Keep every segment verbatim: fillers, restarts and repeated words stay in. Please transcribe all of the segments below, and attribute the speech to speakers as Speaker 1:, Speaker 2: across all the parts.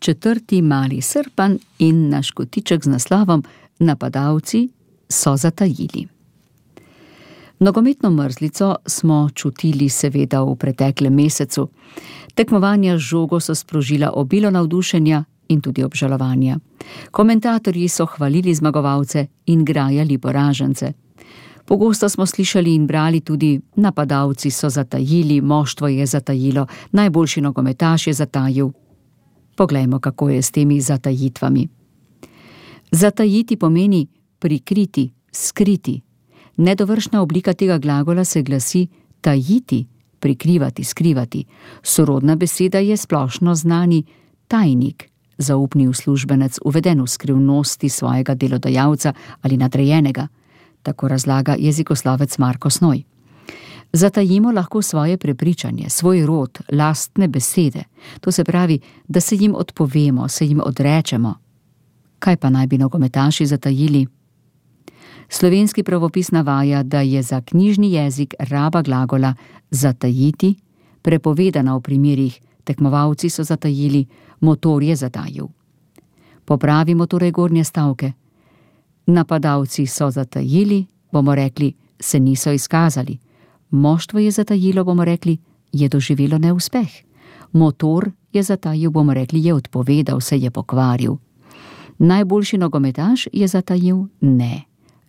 Speaker 1: četrti Mali srpan in naš kotiček z naslovom Napadalci so zatajili. Nogometno mrzlico smo čutili seveda v preteklem mesecu. Tekmovanja z žogo so sprožila obilo navdušenja in tudi obžalovanja. Komentatorji so hvalili zmagovalce in grajali poražence. Pogosto smo slišali in brali tudi: napadalci so zatajili, moštvo je zatajilo, najboljši nogometaš je zatajil. Poglejmo, kako je s temi zatajitvami. Zatajiti pomeni prikriti, skriti. Nedovršna oblika tega glagola se glasi tajiti, prikrivati, skrivati. Sorodna beseda je splošno znani tajnik, zaupni uslužbenec, uveden v skrivnosti svojega delodajalca ali nadrejenega. Tako razlaga jezikoslovec Marko Snoj. Zatajimo lahko svoje prepričanje, svoj rod, lastne besede. To se pravi, da se jim odpovemo, se jim odrečemo. Kaj pa naj bi nogometaši zatajili? Slovenski pravopis navaja, da je za knjižni jezik raba glagola zatajiti prepovedana v primerih tekmovalci so zatajili, motor je zatajil. Popravimo torej gornje stavke. Napadalci so zatajili, bomo rekli, se niso izkazali. Moštvo je zatajilo, bomo rekli, je doživelo neuspeh. Motor je zatajil, bomo rekli, je odpovedal, se je pokvaril. Najboljši nogometaš je zatajil, ne.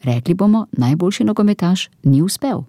Speaker 1: Rekli bomo, najboljši nogometaš ni uspel.